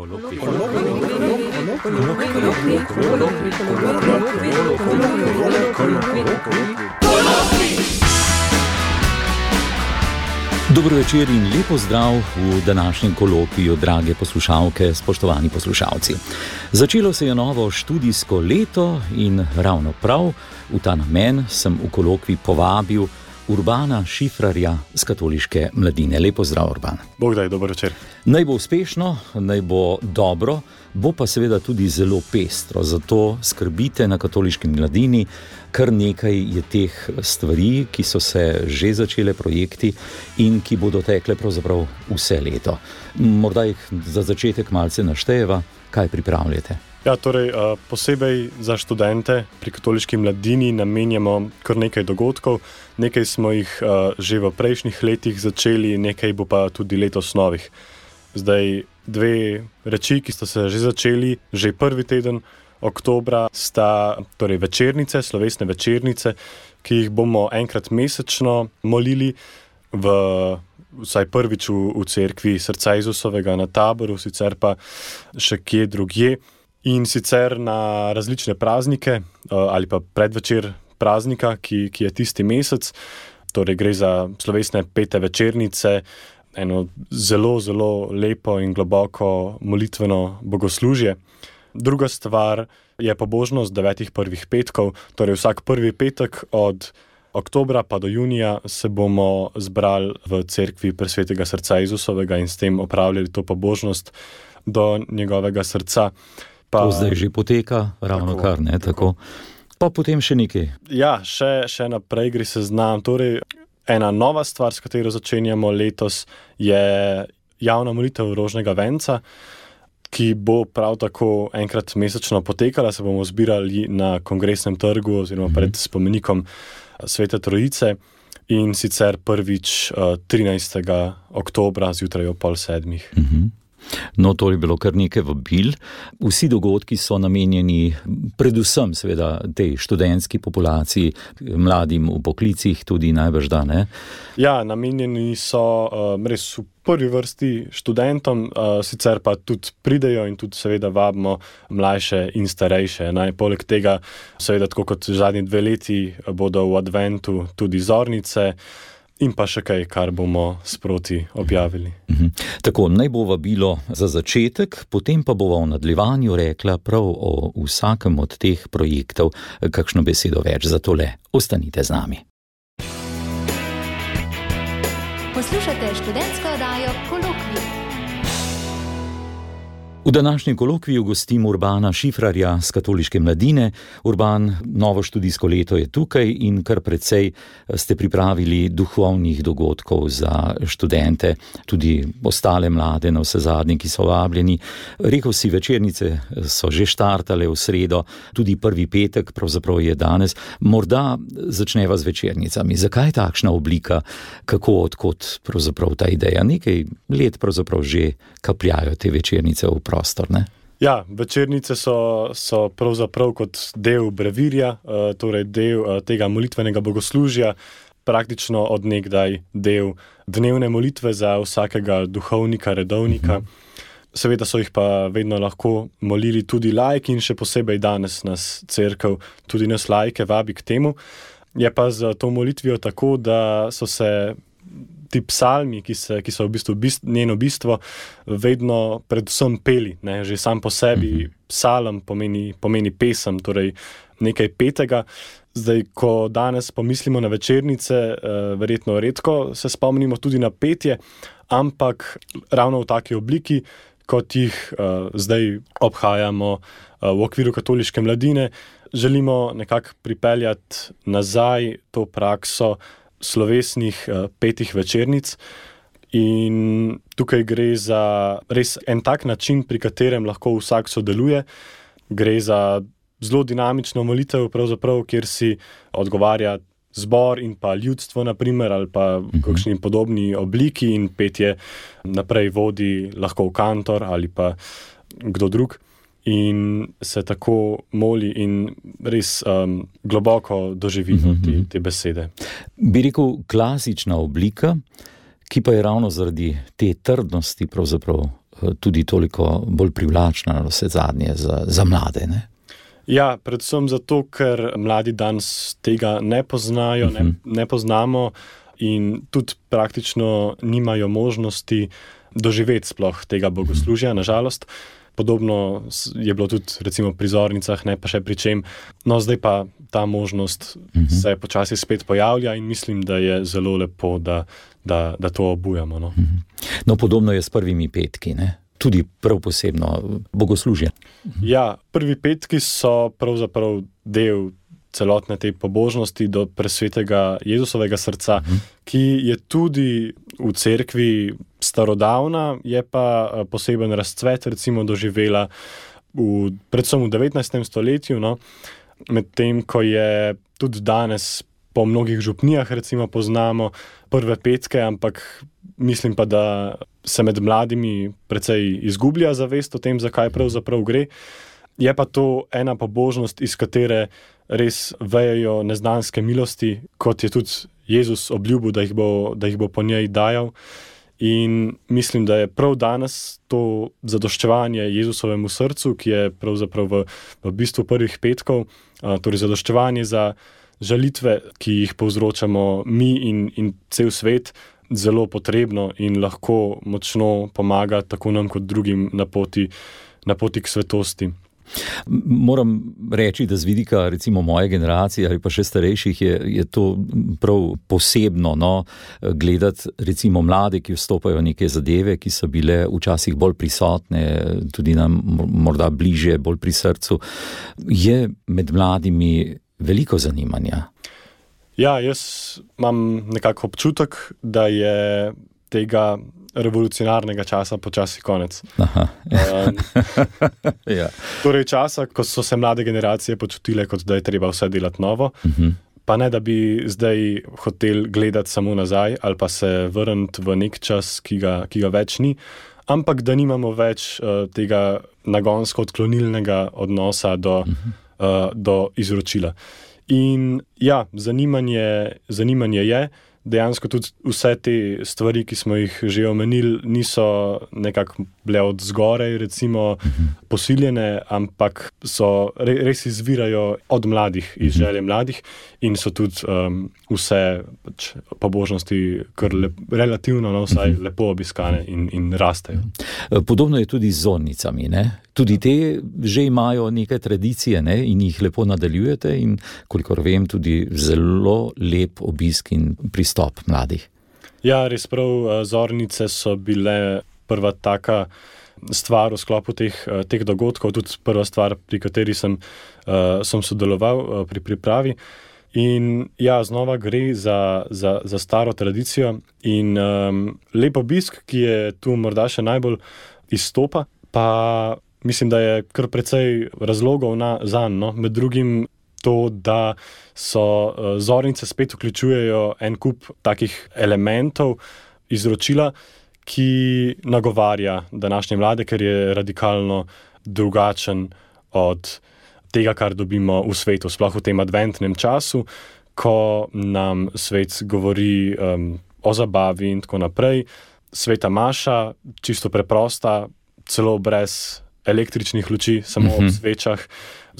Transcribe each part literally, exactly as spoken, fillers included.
Dobro večer in lepo zdrav v današnjem kolokviju, drage poslušalke, spoštovani poslušalci. Začelo se je novo študijsko leto in ravno prav v ta namen sem v kolokvij povabil Urbana Šifrarja z Katoliške mladine. Lepo zdrav, Urban. Bog daj, dober večer. Naj bo uspešno, naj bo dobro, bo pa seveda tudi zelo pestro. Zato skrbite na Katoliški mladini. Kar nekaj je teh stvari, ki so se že začele, projekti in ki bodo tekle pravzaprav vse leto. Morda jih za začetek malce naštejeva, kaj pripravljate. Ja, torej posebej za študente pri Katoliški mladini namenjamo kar nekaj dogodkov. Nekaj smo jih že v prejšnjih letih začeli, nekaj bo pa tudi letos novih. Zdaj dve reči, ki sta se že začeli, že prvi teden oktobra sta torej večernice, slovesne večernice, ki jih bomo enkrat mesečno molili v vsaj prvič v, v cerkvi Srca Jezusovega na Taboru, sicer pa še kje drugje. In sicer na različne praznike ali pa predvečer praznika, ki, ki je tisti mesec. Torej gre za slovesne pete večernice, eno zelo, zelo lepo in globoko molitveno bogoslužje. Druga stvar je pobožnost devetih prvih petkov, torej vsak prvi petek od oktobra pa do junija se bomo zbrali v cerkvi Presvetega Srca Jezusovega in s tem opravljali to pobožnost do njegovega srca. Pa, to zdaj že poteka, ravno tako, kar, ne, tako. tako. Pa potem še nekaj. Ja, še, še naprej gre seznam. Torej, ena nova stvar, s katero začenjamo letos, je javna molitev rožnega venca, ki bo prav tako enkrat mesečno potekala. Se bomo zbirali na Kongresnem trgu oziroma pred spomenikom Svete Trojice in sicer prvič trinajstega oktobra zjutraj ob pol sedmih. Mhm. No, to je bilo kar nekaj vabil. Vsi dogodki so namenjeni predvsem seveda tej študentski populaciji, mladim v poklicih tudi najbrž da, ne? Ja, namenjeni so uh, res v prvi vrsti študentom, uh, sicer pa tudi pridejo in tudi seveda vabimo mlajše in starejše. Naj, poleg tega seveda tako kot zadnji dve leti bodo v adventu tudi zornice, in pa še kaj, kar bomo sproti objavili. Mhm. Tako, naj bo vabilo za začetek, potem pa bova v nadaljevanju rekla prav o vsakem od teh projektov kakšno besedo več. Zato le ostanite z nami. Poslušate študentsko oddajo Kolokvij. V današnjem kolokviju gostim Urbana Šifrarja z Katoliške mladine. Urban, novo študijsko leto je tukaj in kar precej ste pripravili duhovnih dogodkov za študente, tudi ostale mlade na vse zadnje, ki so vabljeni. Rekel si, večernice so že štartale v sredo, tudi prvi petek, pravzaprav je danes. Morda začneva z večernicami. Zakaj takšna oblika? Kako, odkot pravzaprav ta ideja? Nekaj let pravzaprav že kapljajo te večernice v prostor, ne? Ja, večernice so, so pravzaprav kot del brevirja, torej del tega molitvenega bogoslužja, praktično od nekdaj del dnevne molitve za vsakega duhovnika, redovnika. Seveda so jih pa vedno lahko molili tudi laiki in še posebej danes nas cerkev, tudi nas laike vabi k temu. Je pa z to molitvijo tako, da so se ti psalmi, ki, se, ki so v bistvu bist, njeno bistvo, vedno predvsem peli, ne? Že sam po sebi psalm pomeni, pomeni pesem, torej nekaj petega. Zdaj, ko danes pomislimo na večernice, eh, verjetno redko se spomnimo tudi na petje, ampak ravno v taki obliki, kot jih eh, zdaj obhajamo eh, v okviru Katoliške mladine, želimo nekako pripeljati nazaj to prakso slovesnih uh, petih večernic in tukaj gre za res en tak način, pri katerem lahko vsak sodeluje. Gre za zelo dinamično molitev, pravzaprav, kjer si odgovarja zbor in pa ljudstvo, naprimer, ali pa v kakšni podobni obliki in petje naprej vodi lahko kantor ali pa kdo drug. In se tako moli in res um, globoko doživimo te, te besede. Bi rekel, klasična oblika, ki pa je ravno zaradi te trdnosti pravzaprav tudi toliko bolj privlačna vse zadnje za, za mlade, ne? Ja, predvsem zato, ker mladi danes tega ne poznajo, uh-huh. ne, ne poznamo in tudi praktično nimajo možnosti doživeti sploh tega bogoslužja, nažalost. Podobno je bilo tudi recimo pri zornicah, ne pa še pri čem. No, zdaj pa ta možnost uh-huh. se počasi spet pojavlja in mislim, da je zelo lepo, da, da, da to obujamo. No. Uh-huh. No, podobno je s prvimi petki, ne? Tudi prav posebno bogoslužje. Uh-huh. Ja, prvi petki so pravzaprav del celotne te pobožnosti do presvetega Jezusovega srca, uh-huh. ki je tudi v cerkvi starodavna, je pa poseben razcvet recimo doživela v, predvsem v devetnajstem stoletju, no, medtem ko je tudi danes po mnogih župnijah recimo poznamo prve petke, ampak mislim pa, da se med mladimi precej izgublja zavest o tem, zakaj pravzaprav gre. Je pa to ena pobožnost, iz katere res vejejo neznanske milosti, kot je tudi Jezus obljubil, da jih bo, da jih bo po njej dajal. In mislim, da je prav danes to zadoščevanje Jezusovemu srcu, ki je pravzaprav v, v bistvu prvih petkov, torej zadoščevanje za žalitve, ki jih povzročamo mi in, in cel svet, zelo potrebno in lahko močno pomaga tako nam kot drugim na poti, na poti k svetosti. Moram reči, da z vidika recimo moje generacije ali pa še starejših je, je to prav posebno, no, gledati recimo mlade, ki vstopajo v neke zadeve, ki so bile včasih bolj prisotne, tudi nam morda bliže, bolj pri srcu. Je med mladimi veliko zanimanja? Ja, jaz imam nekako občutek, da je tega revolucionarnega časa počasi konec. Aha. Um, ja. Torej časa, ko so se mlade generacije počutile, kot da je treba vse delati novo, uh-huh. pa ne, da bi zdaj hotel gledati samo nazaj ali pa se vrniti v nek čas, ki ga, ki ga več ni, ampak da nimamo več uh, tega nagonsko odklonilnega odnosa do, uh-huh. uh, do izročila. In ja, zanimanje, zanimanje je, dejansko tudi vse te stvari, ki smo jih že omenili, niso nekako bile od zgoraj, recimo, posiljene, ampak so res izvirajo od mladih, iz želje mladih in so tudi um, vse pač, pobožnosti kar lep, relativno, no, vsaj lepo obiskane in, in rastejo. Podobno je tudi z zornicami, ne? Tudi te že imajo neke tradicije, ne? In jih lepo nadaljujete in, kolikor vem, tudi zelo lep obisk in pristop mladih. Ja, res prav, zornice so bile prva taka stvar v sklopu teh, teh dogodkov, tudi prva stvar, pri kateri sem, uh, sem sodeloval uh, pri pripravi. In ja, znova gre za, za, za staro tradicijo in um, lep obisk, ki je tu morda še najbolj izstopa, pa mislim, da je kar precej razlogov na, zanj, no? Med drugim to, da so uh, zornice spet vključujejo en kup takih elementov izročila, ki nagovarja današnje mlade, ker je radikalno drugačen od tega, kar dobimo v svetu, sploh v tem adventnem času, ko nam svet govori um, o zabavi in tako naprej. Sveta maša, čisto preprosta, celo brez električnih luči, samo uh-huh. ob svečah,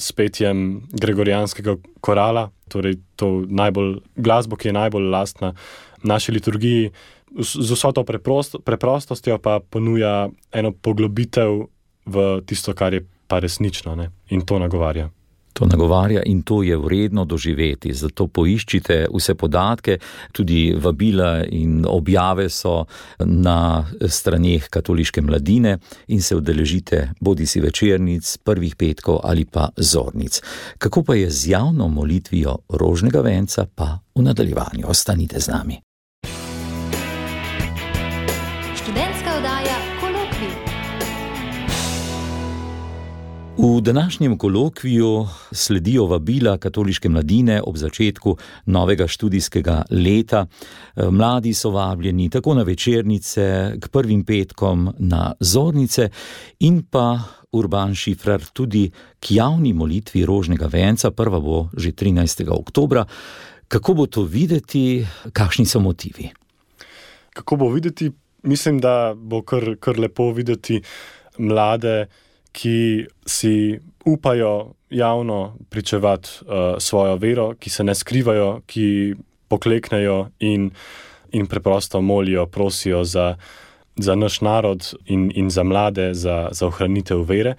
s petjem gregorijanskega korala, torej to najbolj, glasbo, ki je najbolj lastna naši liturgiji, z vso to preprost, preprostostjo pa ponuja eno poglobitev v tisto, kar je pa resnično, ne? In to nagovarja. To nagovarja in to je vredno doživeti, zato poiščite vse podatke, tudi vabila in objave so na straneh Katoliške mladine in se udeležite bodisi večernic, prvih petkov ali pa zornic. Kako pa je z javno molitvijo rožnega venca, pa v nadaljevanju. Ostanite z nami. Študentska oddaja Kolokvij. V današnjem kolokviju sledijo vabila Katoliške mladine ob začetku novega študijskega leta. Mladi so vabljeni tako na večernice, k prvim petkom na zornice in pa Urban Šifrar tudi k javni molitvi rožnega venca. Prva bo že trinajstega oktobra. Kako bo to videti, kakšni so motivi? Kako bo videti? mislim, da bo kar, kar lepo videti mlade, ki si upajo javno pričevati uh, svojo vero, ki se ne skrivajo, ki pokleknejo in, in preprosto molijo, prosijo za, za naš narod in, in za mlade, za, za ohranitev vere.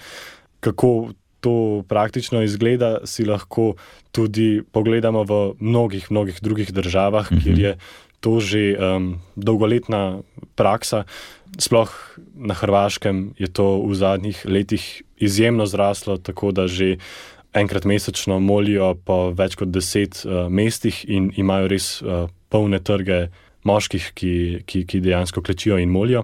Kako to praktično izgleda, si lahko tudi pogledamo v mnogih, mnogih drugih državah, mm-hmm. kjer je to že um, dolgoletna praksa. Sploh na Hrvaškem je to v zadnjih letih izjemno zraslo, tako da že enkrat mesečno molijo po več kot deset uh, mestih in imajo res uh, polne trge moških, ki, ki, ki dejansko klečijo in molijo.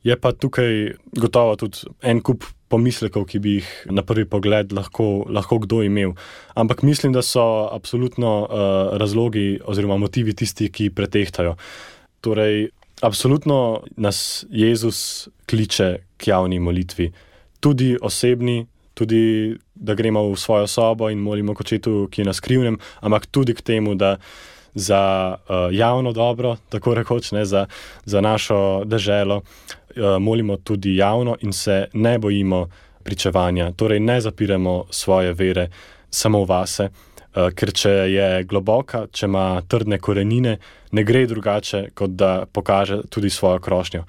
Je pa tukaj gotovo tudi en kup pomislekov, ki bi jih na prvi pogled lahko, lahko kdo imel. Ampak mislim, da so absolutno uh, razlogi oziroma motivi tisti, ki pretehtajo. Torej, absolutno nas Jezus kliče k javni molitvi. Tudi osebni, tudi da gremo v svojo sobo in molimo k Očetu, ki je na skrivnem, ampak tudi k temu, da za uh, javno dobro, tako rekoč, ne, za, za našo deželo, uh, molimo tudi javno in se ne bojimo pričevanja. Torej ne zapiramo svoje vere samo vase, uh, ker če je globoka, če ima trdne korenine, ne gre drugače, kot da pokaže tudi svojo krošnjo.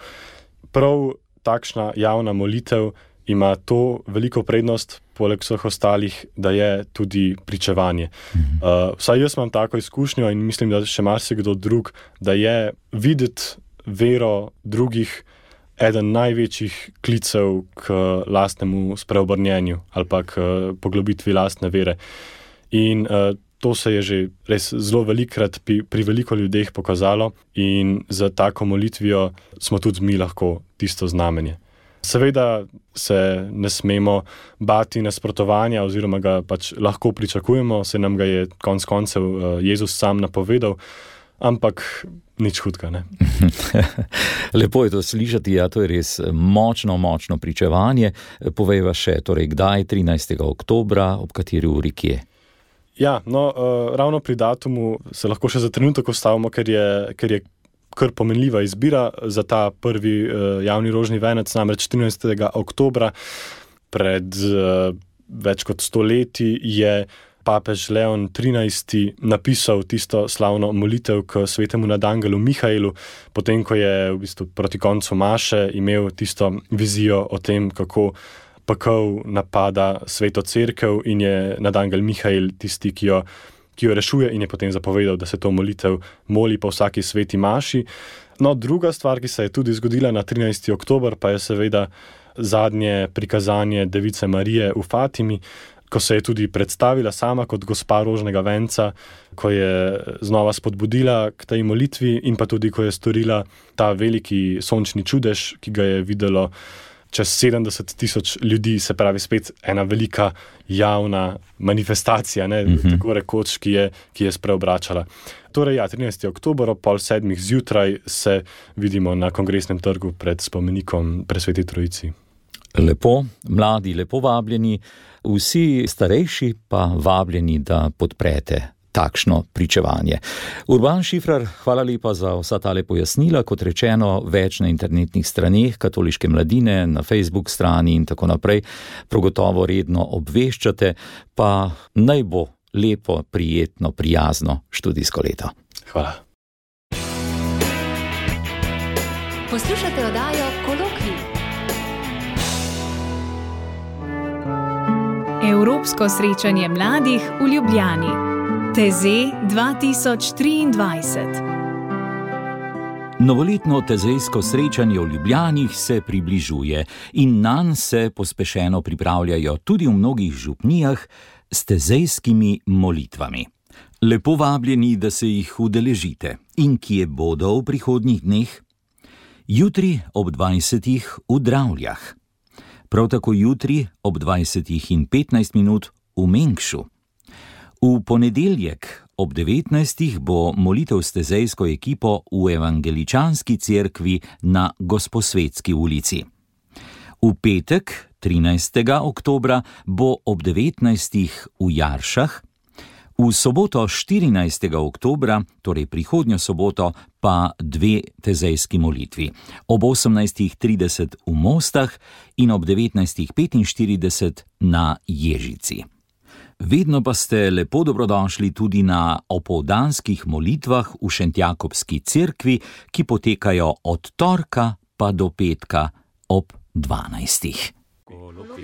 Prav takšna javna molitev ima to veliko prednost, poleg vseh ostalih, da je tudi pričevanje. Uh, vsaj jaz imam tako izkušnjo in mislim, da še marsikdo drug, da je videti vero drugih eden največjih klicev k lastnemu spreobrnjenju ali pa k poglobitvi lastne vere. In uh, to se je že res zelo velikrat pri, pri veliko ljudeh pokazalo in za tako molitvijo smo tudi mi lahko tisto znamenje. Seveda se ne smemo bati nasprotovanja oziroma ga pač lahko pričakujemo, se nam ga je konec koncev Jezus sam napovedal, ampak nič hudega, ne. Lepo je to slišati, ja, to je res močno, močno pričevanje. Povejva še, torej kdaj, trinajstega oktobra, ob kateri uri kje? Ja, no, uh, ravno pri datumu se lahko še za trenutek ustavimo, ker je, ker je kar pomenljiva izbira za ta prvi uh, javni rožni venec, namreč trinajstega oktobra pred uh, več kot stoletji je papež Leon trinajsti napisal tisto slavno molitev k svetemu nadangelu Mihaelu, potem ko je v bistvu proti koncu maše imel tisto vizijo o tem, kako pekel napada sveto cerkev in je nadangel Mihael tisti, ki jo ki jo rešuje in je potem zapovedal, da se to molitev moli po vsaki sveti maši. No, druga stvar, ki se je tudi zgodila na trinajstega oktobra, pa je seveda zadnje prikazanje Device Marije v Fatimi, ko se je tudi predstavila sama kot gospa rožnega venca, ko je znova spodbudila k tej molitvi in pa tudi, ko je storila ta veliki sončni čudež, ki ga je videlo čez sedemdeset tisoč ljudi, se pravi spet ena velika javna manifestacija, ne, mm-hmm. tako rekoč, ki je, ki je spreobračala. Torej, ja, trinajstega oktobra ob pol sedmih zjutraj se vidimo na Kongresnem trgu pred spomenikom Presveti Trojici. Lepo, mladi lepo vabljeni, vsi starejši pa vabljeni, da podprete takšno pričevanje. Urban Šifrar, hvala lepa za vsa tale pojasnila, kot rečeno, več na internetnih straneh Katoliške mladine, na Facebook strani in tako naprej. Pragotovo redno obveščate, pa naj bo lepo, prijetno, prijazno študijsko leto. Hvala. Poslušate oddajo Kolokvij. Evropsko srečanje mladih v Ljubljani. Tezej dva tisoč triindvajset. Novoletno tezejsko srečanje v Ljubljani se približuje in nanj se pospešeno pripravljajo tudi v mnogih župnijah s tezejskimi molitvami. Lepo vabljeni, da se jih udeležite. In kje bodo v prihodnjih dneh? Jutri ob dvajsetih v Dravljah. Prav tako jutri ob dvajsetih in petnajst minut v Mengšu. V ponedeljek ob devetnajstih bo molitev s tezejsko ekipo v Evangeličanski cerkvi na Gosposvetski ulici. V petek, trinajstega oktobra, bo ob devetnajstih v Jaršah, v V soboto štirinajstega oktobra, torej prihodnjo soboto, pa dve tezejski molitvi. Ob osemnajstih trideset v Mostah in ob devetnajstih petinštirideset na Ježici. Vedno pa ste lepo dobrodošli tudi na opoldanskih molitvah v Šentjakobski cerkvi, ki potekajo od torka pa do petka ob dvanajstih. Kolokvij.